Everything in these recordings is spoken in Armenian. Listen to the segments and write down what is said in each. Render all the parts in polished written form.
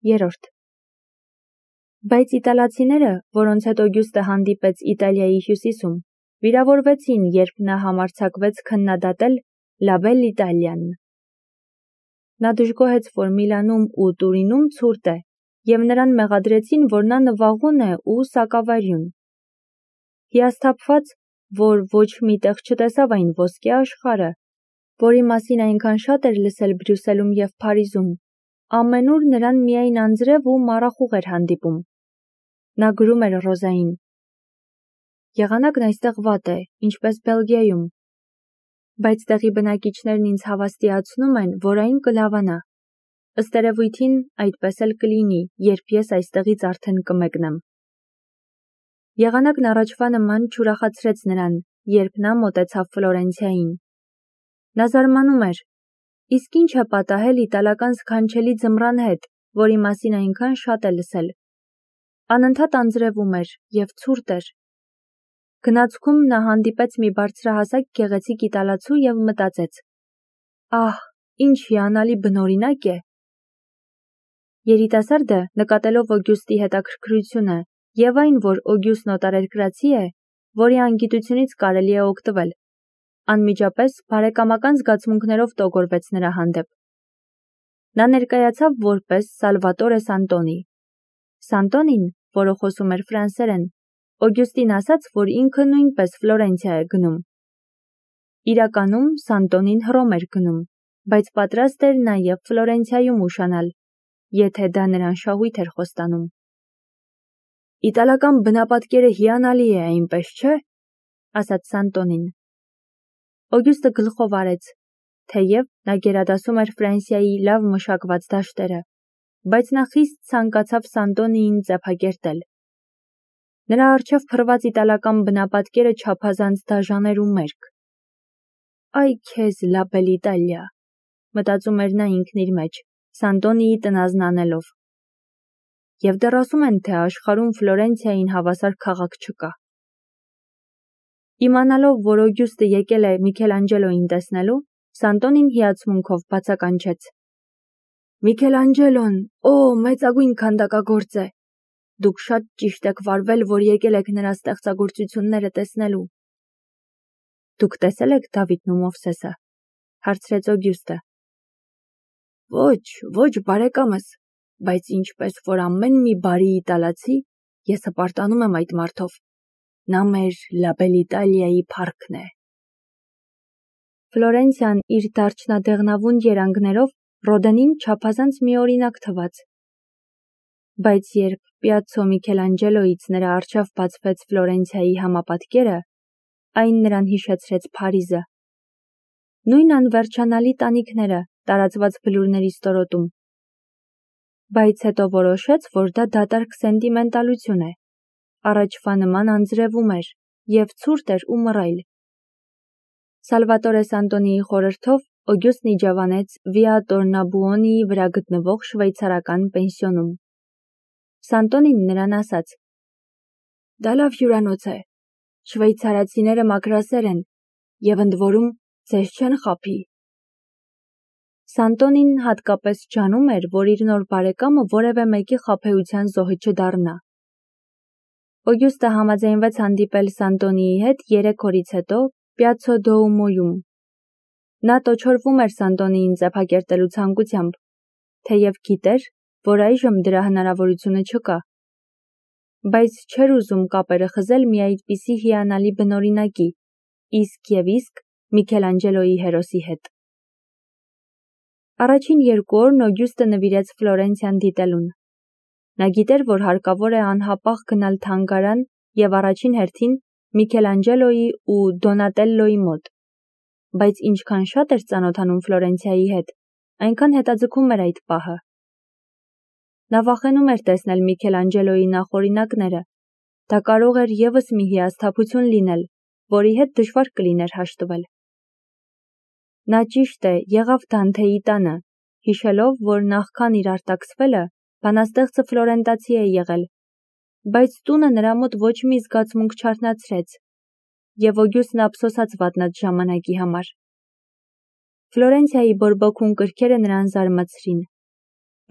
3. Բայց իտալացիները, որոնց հետ Օգյուստը հանդիպեց Իտալիայի հյուսիսում, վիրավորվեցին, երբ նա համարձակվեց քննադատել «Լա Բել Իտալիան»։ Նա դժգոհեց, որ Միլանում ու Տուրինում ցուրտ է, և նրան մեղադրեցին, որ նա նվաղուն է ու սակավարյուն։ Հիասթափված, որ ոչ մի տեղ չտեսավ այն ոսկե աշխարհը, որի մասին այնքան շատ էր լսել Բրյուսելում և Փարիզում, ամենուր նրան միայն անձրև ու մառախուղ էր հանդիպում։ Նա գրում էր Ռոզային. «Եղանակն այստեղ վատ է, ինչպես Բելգիայում, բայց տեղի բնակիչներն ինձ հավաստիացնում են, որ այն կլավանա։ Ըստ երևույթին, այդպես էլ կլինի, երբ ես այստեղից արդեն կմեկնեմ»։ Եղանակն առաջվա նման չուրախացրեց նրան, երբ նա մոտեցավ Ֆլորենցիային։ Նա զարմանում էր. իսկ ինչ է պատահել իտալական սքանչելի ձմռան հետ, որի մասին այնքան շատ է լսել։ Անընդհատ անձրևում էր և ցուրտ էր։ Գնացքում նա հանդիպեց մի բարձրահասակ գեղեցիկ իտալացու և մտածեց. «Ահ, ինչ հիանալի բնօրինակ է»։ Երիտասարդը, նկատելով Օգյուստի հետաքրքրությունը և այն, որ Օգյուստն օտարերկրացի է, որի անգիտությունից կարելի է օգտվել, անմիջապես բարեկամական զգացմունքներով տոգորվեց նրա հանդեպ։ Նա ներկայացավ որպես Սալվատորե Սանտոնի։ Սանտոնին, որը խոսում էր ֆրանսերեն, Օգյուստին ասաց, որ ինքը նույնպես Ֆլորենցիա է գնում։ Իրականում Սանտոնին Հռոմ էր գնում, բայց պատրաստ էր նաև Ֆլորենցիայում ուշանալ, եթե դա նրան շահույթ էր խոստանում։ «Իտալական բնապատկերը հիանալի է, այնպես չէ՞», ասաց Սանտոնին։ Օգյուստը գլխով արեց, թեև նա գերադասում էր Ֆրանսիայի լավ մշակված դաշտերը, բայց նա խիստ ցանկացավ Սանտոնիին ծեփակերտել։ Նրա առջև փռված իտալական բնապատկերը չափազանց դաժան էր ու մերկ։ «Այ քեզ, Լա Բել Իտալիա», մտածում էր նա ինքն իր մեջ, Սանտոնիի տնազն անելով։ Եվ դեռ ասում են, թե աշխարհում Ֆլորենցիային հավասար քաղաք չկա։ Իմանալով, որ Օգյուստը եկել է Միքելանջելոյին տեսնելու, Սանտոնին հիացմունքով բացականչեց. «Միքելանջելոն, օ, մեծագույն քանդակագործ է։ Դուք շատ ճիշտ եք վարվել, որ եկել եք նրա ստեղծագործությունները տեսնելու»։ «Դուք տեսել եք Դավիթն ու Մովսեսը», հարցրեց Օգյուստը։ Ոչ, բարեկամս, բայց ինչպես որ ամեն մի բարի իտալացի, ես հպարտանում եմ այդ մարդով։ Նա մեր Լա Բել Իտալիայի փառքն է։ Ֆլորենցիան իր դարչնադեղնավուն երանգներով Ռոդենին չափազանց միօրինակ թվաց։ Բայց երբ Պիացցո Միքելանջելոյից նրա առջև բացվեց Ֆլորենցիայի համապատկերը, այն նրան հիշեցրեց Փարիզը։ Նույն անվերջանալի տանիքները, տարածված բլուրների ստորոտում։ Բայց հետո որոշեց, որ դա դատարկ սենտիմենտալություն է։ Առաջվա նման անձրևում էր և ցուրտ էր ու մռայլ։ Սալվատորե Սանտոնիի խորհրդով Օգյուստն իջավանեց Վիա Տորնաբուոնիի վրա գտնվող շվեյցարական պենսիոնում։ Սանտոնին նրան ասաց. «Դա լավ հյուրանոց է, շվեյցարացիները մաքրասեր են, և ընդ որում ձեզ չեն խաբի»։ Սանտոնին հատկապես ջանում էր, որ իր նոր բարեկամը որևէ մեկի խաբեության զոհը չդառնա։ Օգյուստը համաձայնվեց հանդիպել Սանտոնիի հետ 3 օրից հետո Պիացցո Դոումոյում։ Նա տոչորվում էր Սանտոնիին ծեփակերտելու ցանկությամբ, թեև գիտեր, որ այժմ դրա հնարավորությունը չկա։ Բայց չէր ուզում կապերը խզել մի այդպիսի հիանալի բնօրինակի, իսկ և իսկ Միքելանջելոյի հերոսի հետ։ Առաջին 2 օրն Օգյուստը նվիրեց Ֆլորենցիան դիտելուն։ Նա գիտեր, որ հարկավոր է անհապաղ գնալ թանգարան և առաջին հերթին Միքելանջելոյի ու Դոնատելլոյի մոտ։ Բայց ինչքան շատ էր ծանոթանում Ֆլորենցիայի հետ, այնքան հետաձգում էր այդ պահը։ Նա վախենում էր տեսնել Միքելանջելոյի նախօրինակները։ Դա կարող էր ևս մի հիասթափություն լինել, որի հետ դժվար կլիներ հաշտվել։ Նա ճիշտ է, եղավ Դանթեի տանը, հիշելով, որ նախքան իր արտաքսվելը բանաստեղծը ֆլորենտացի է եղել, բայց տունը նրա մոտ ոչ մի զգացմունք չարթնացրեց, և Օգյուստն ափսոսացավ այդ ժամանակի համար։ Ֆլորենցիայի բորբոքուն կրքերը նրան զարմացրին։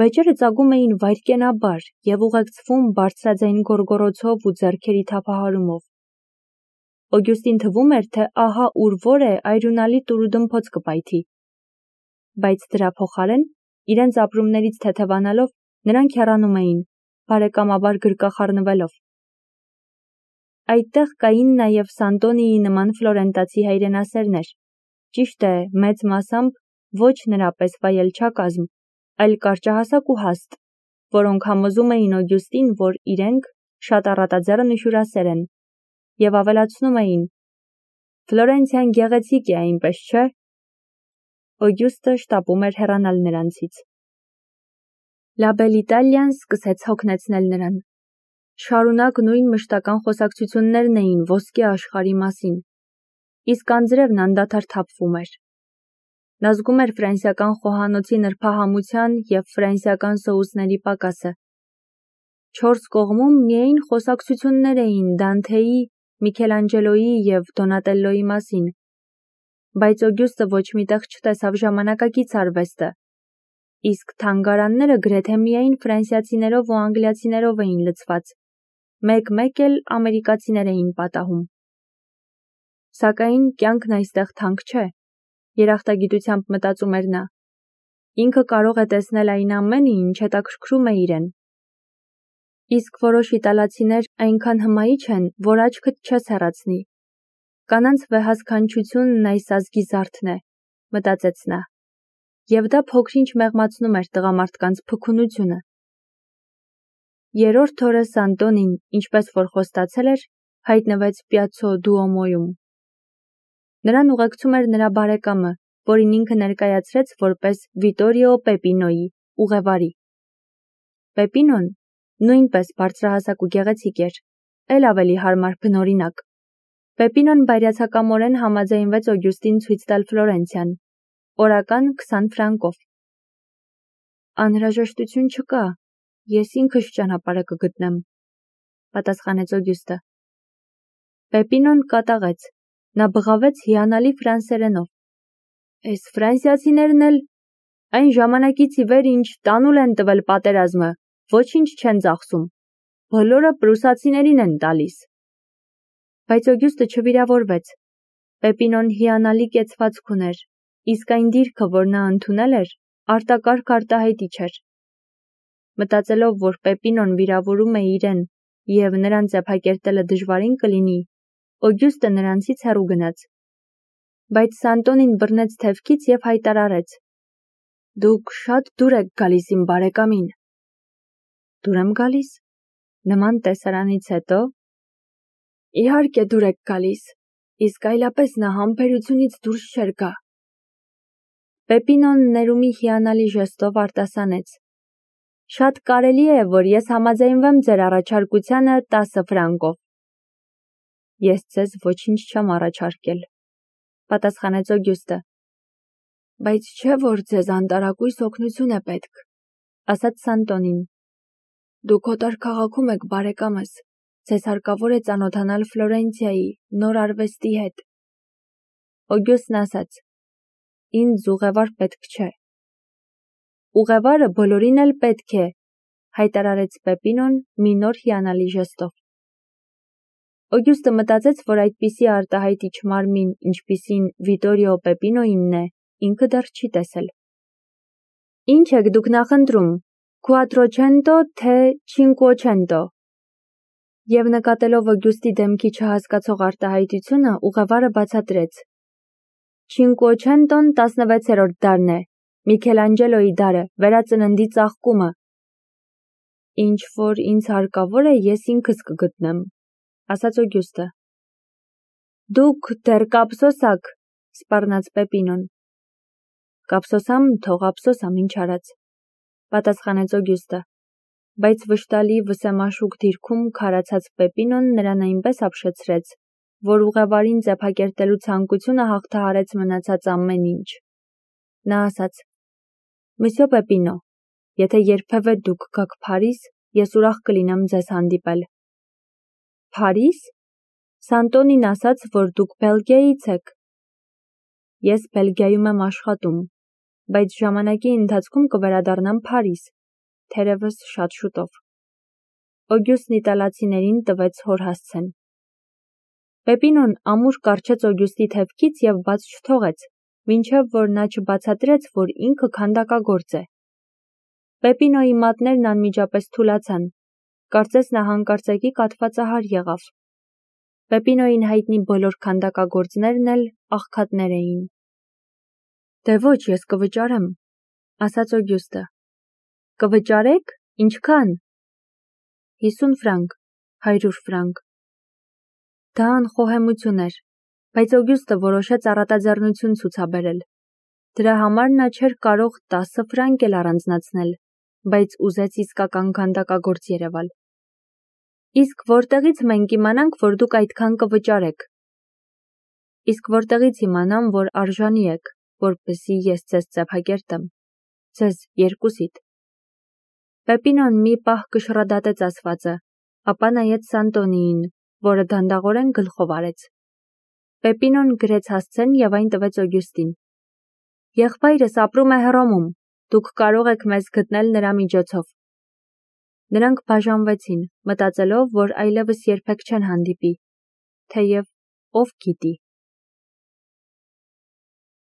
Վեճերը ծագում էին վայրկենաբար և ուղեկցվում բարձրաձայն գոռգոռոցով ու ձեռքերի թափահարումով։ Օգյուստին թվում էր, թե ահա ուր որ է այրունալի տուրուդմփոց կպայթի։ Բայց դրա փոխարեն, իրենց ապրումներից թեթևանալով, նրանք հեռանում էին, բարեկամաբար գրկախառնվելով։ Այդտեղ կային նաև Սանտոնիի նման ֆլորենտացի հայրենասերներ, ճիշտ է, մեծ մասամբ ոչ նրա պես վայելչակազմ, այլ կարճահասակ ու հաստ, որոնք համոզում էին Օգյուստին, որ իրենք շատ առատաձեռն ու հյուրասեր են, և ավելացնում էին. «Ֆլորենցիան գեղեցիկ է, այնպես չէ»։ Օգյուստը շտապում էր հեռանալ նրանցից։ Լա Բել Իտալիան սկսեց հոգնեցնել նրան։ Շարունակ նույն մշտական խոսակցություններն էին ոսկե աշխարհի մասին, իսկ անձրևն անդադար թափվում էր։ Նա զգում էր ֆրանսիական խոհանոցի նրբահամության և ֆրանսիական սոուսների պակասը։ Չորս կողմում միայն խոսակցություններ էին Դանթեի, Միքելանջելոյի և Դոնատելլոյի մասին, բայց Օգյուստը ոչ մի տեղ չտեսավ ժամանակակից արվեստը, իսկ թանգարանները գրեթե միայն ֆրանսիացիներով ու անգլիացիներով էին լցված, մեկ-մեկ էլ ամերիկացիներ էին պատահում։ Սակայն կյանքն այստեղ թանկ չէ, երախտագիտությամբ մտածում էր նա։ Ինքը կարող է տեսնել այն ամենը, ինչ հետաքրքրում է իրեն։ Իսկ որոշ իտալացիներ այնքան հմայիչ են, որ աչքդ չես հեռացնի։ Կանանց վեհասքանչությունն այս ազգի զարդն է, մտածեց նա, և դա փոքր-ինչ մեղմացնում էր տղամարդկանց փքունությունը։ Երրորդ օրը Սանտոնին, ինչպես որ խոստացել էր, հայտնվեց Պիացցո Դուոմոյում։ Նրան ուղեկցում էր նրա բարեկամը, որին ինքը ներկայացրեց որպես Վիտորիո Պեպինոյի ուղևարի։ Պեպինոն նույնպես բարձրահասակ ու գեղեցիկ էր, էլ ավելի հարմար բնօրինակ։ Պեպինոն բայրացակամորեն համաձայնվեց Օգյուստին ցույց տալ Ֆլորենցիան, օրական 20 ֆրանկով։ Անհրաժեշտություն չկա, ես ինքս ճանապարհը կգտնեմ, պատասխանեց Օգյուստը։ Պեպինոն կատաղեց, նա բղավեց հիանալի ֆրանսերենով։ Էս ֆրանսիացիներն էլ այն ժամանակից ի վեր, ինչ տանուլ են տվել պատերազմը, ոչինչ չեն ծախսում, բոլորը պրուսացիներին են տալիս։ Բայց Օգյուստը չվիրավորվեց։ Պեպինոն հիանալի կեցվածք ուներ, իսկ այն դիրքը, որ նա ընդունել էր, արտակարգ արտահայտիչ էր։ Մտածելով, որ Պեպինոն վիրավորում է իրեն և նրան ծեփակերտելը դժվարին կլինի, Օգյուստը նրանցից հեռու գնաց։ Բայց Սանտոնին բռնեց թևքից և հայտարարեց. «Դուք շատ դուր եք գալիս իմ բարեկամին»։ Դուր եմ գալիս։ Նման տեսարանից հետո։ Իհարկե դուր եք գալիս, իսկ այլապես նա համբերությունից դուրս չէր գա։ Պեպինոն ներումի հիանալի ժեստով արտասանեց. Շատ կարելի է, որ ես համաձայնվեմ ձեր առաջարկությանը 10 ֆրանկով։ Ես ձեզ ոչինչ չեմ առաջարկել, պատասխանեց Օգյուստը։ Բայց չէ՞ որ ձեզ անտարակույս օգնություն է պետք, ասաց Սանտոնին։ Դուք օտար քաղաքում եք, բարեկամս, ձեզ հարկավոր է ծանոթանալ Ֆլորենցիայի նոր արվեստի հետ։ Օգյուստն ասաց. Ինձ ուղևար պետք չէ։ Ուղևարը բոլորին էլ պետք է, հայտարարեց Պեպինոն մի նոր հիանալի ժեստով։ Օգյուստը մտածեց, որ այդպիսի արտահայտիչ մարմին, ինչպիսին Վիտորիո Պեպինոյինն է, ինքը դեռ չի տեսել։ Ինչ եք դուք նախընտրում, Quattrocento թե Cinquecento։ Եվ նկատելով Օգյուստի դեմքի չհասկացող արտահայտությունը, ուղևարը բացատրեց. Cinquecenton 16-րդ դարն է, Միքելանջելոյի դարը, վերածննդի ծաղկումը։ Ինչ որ ինձ հարկավոր է, ես ինքս կգտնեմ, ասաց Օգյուստը։ Դուք դեռ կապսոսակ, սպառնաց Պեպինոն։ Կապսոսամ, թող ափսոսամ, ինչ արած, պատասխանեց Օգյուստը, բայց վշտալի վսեմաշուկ դիրքում քարացած Պեպինոն նրան այնպես ապշեցրեց, որ ուղևարին ծեփակերտելու ցանկությունը հաղթահարեց մնացած ամեն ինչ։ Նա ասաց. Մսյո Պեպինո, եթե երբևէ դուք գաք Փարիզ, ես ուրախ կլինեմ ձեզ հանդիպել։ Փարիզ։ Սանտոնին ասաց, որ դուք Բելգիայից եք։ Ես Բելգիայում եմ աշխատում, բայց ժամանակի ընթացքում կվերադառնամ Փարիզ, թերևս շատ շուտով։ Օգյուստն իտալացիներին տվեց հոր հասցեն։ Պեպինոն ամուր կառչեց Օգյուստի թևքից և բաց չթողեց, մինչև որ նա չբացատրեց, որ ինքը քանդակագործ է։ Պեպինոյի մատներն անմիջապես թուլացան, կարծես նա հանկարծակի կաթվածահար եղավ։ Պեպինոյին հայտնի բոլոր քանդակագործներն էլ աղքատներ էին։ Դե ոչ, ես կվճարեմ, ասաց Օգյուստը։ Կվճարեք, ինչքան։ 50 ֆրանկ, 100 ֆրանկ։ Դա անխոհեմություն էր, բայց Օգյուստը որոշեց առատաձեռնություն ցուցաբերել։ Դրա համար նա չէր կարող 10 ֆրանկ էլ առանձնացնել, բայց ուզեց իսկական քանդակագործ երևալ։ Իսկ որտեղից մենք իմանանք, որ դուք այդքան կվճարեք։ Իսկ որտեղից իմանամ, որ արժանի եք, որպեսզի ես ձեզ ծեփակերտեմ, ձեզ երկուսիդ։ Պեպինոն մի պահ կշռադատեց ասվածը, ապա նայեց Սանտոնիին, որը դանդաղորեն գլխով արեց։ Պեպինոն գրեց հասցեն և այն տվեց Օգյուստին։ Եղբայրս ապրում է Հռոմում, դուք կարող եք մեզ գտնել նրա միջոցով։ Նրանք բաժանվեցին, մտածելով, որ այլևս երբեք չեն հանդիպի, թեև ով գիտի։